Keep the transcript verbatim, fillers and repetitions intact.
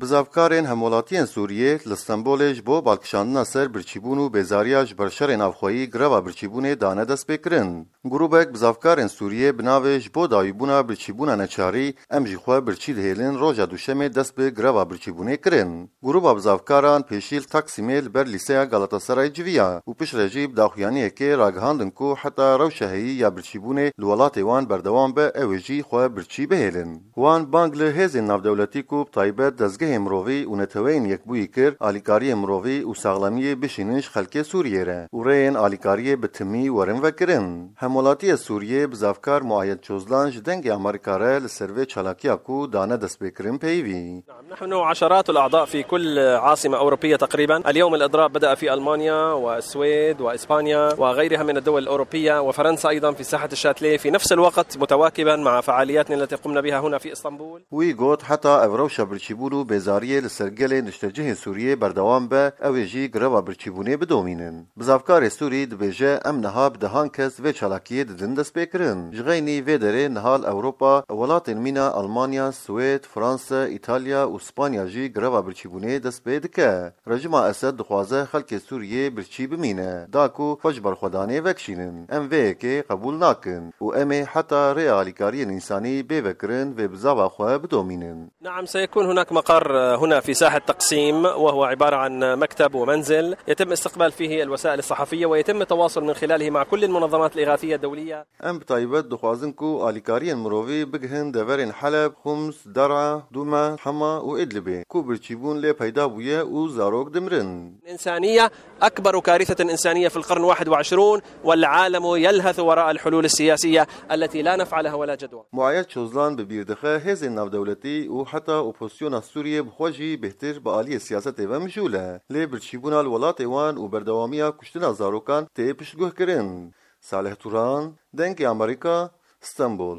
Bizavkarên hemwelatiyên Sûriyê li Stenbolê ji bo balkişandina ser birçîbûn û bêzariya ji ber şerê navxweyî greva birçîbûnê dane destpêkirin. Grûbek bizavkarên Sûriyê bi navê Ji bo dawîbûna birçîbûna neçarî, em jî xwe birçî dihêlin roja Duşemê dest bi greva birçîbûnê kirin. Grûba bizavkaran pêşî li Taksîmê li ber lîseya Galatasaray civiya û piştre jî bi daxuyaniyekê ragihandin ku heta rewşa heyî ya birçîbûnê li welatê wan berdewam be, ew ê jî xwe birçî bihêlin. Wan bang li hêzên navdewletî ku bi taybet dezgehê mirovî û neteweyên yekbûyî kir, alîkariyê mirovî û saxlemiyê bişînin ji xelkê Sûriyê re û rêyên alîkariyê bi timî werin vekirin. Hemwelatiyê Sûriyê bizavkar Muayed Çozlan ji Dengê Amerîka re li ser vê çalakiya ku dane destpêkirin peyivî. نعم، نحن عشرات الأعضاء في كل عاصمة أوروبية تقريبا. اليوم الإضراب بدأ في ألمانيا والسويد وإسبانيا وغيرها من الدول الأوروبية وفرنسا أيضا في ساحة الشاتليه، في نفس الوقت متواكبا مع فعالياتنا التي قمنا بها هنا في إسطنبول. Wî got, heta ev rewşa birçîbûn û bêzariyê li ser gelê niştecihên Sûriyê berdewam be, ew ê jî greva birçîbûnê bidomînin. Bizavkarê Sûrî dibêje, em niha bi dehan kes vê çalakiyê didin destpêkirin. Ji xeynî vê derê niha li Ewropa, welatên mîna Almanya, Swêd, Fransa, Îtalya û Spanya jî greva birçîbûnê dest pê dike. Rejîma Esed dixwaze xelkê Sûriyê birçî bimîne, da ku xwe ji berxwedanê vekişînin. Em vê yekê qebûl nakin û em ê heta rêya alîkariyên însanî bê vekirin vê bizava xwe bidomînin. نعم، سيكون هناك مقر هنا في ساحة تقسيم، وهو عبارة عن مكتب ومنزل يتم استقبال فيه الوسائل الصحفية ويتم التواصل من خلاله مع كل المنظمات الإغاثية الدولية. Em bi taybet dixwazin ku alîkariyên mirovî bigihin deverên Heleb, Xums, Der'a, Duma, Hema û Idlibê, ku birçîbûn lê peyda bûye û zarok dimirin. إنسانية، أكبر كارثة إنسانية في القرن واحد وعشرون، والعالم يلهث وراء الحلول السياسية التي لا نفع لها ولا جدوى. Muayed Çozlan bi bîr dixe hêzên navdewletî û heta opozisyona Sûriyê bi xwe jî bêhtir bi aliyê siyasetê ve mijûl e. Lê birçîbûna li welatê wan û berdewamiya kuştina zarokan tê piştguhkirin. Salih Turan, Dengê Amerîka, Stenbol.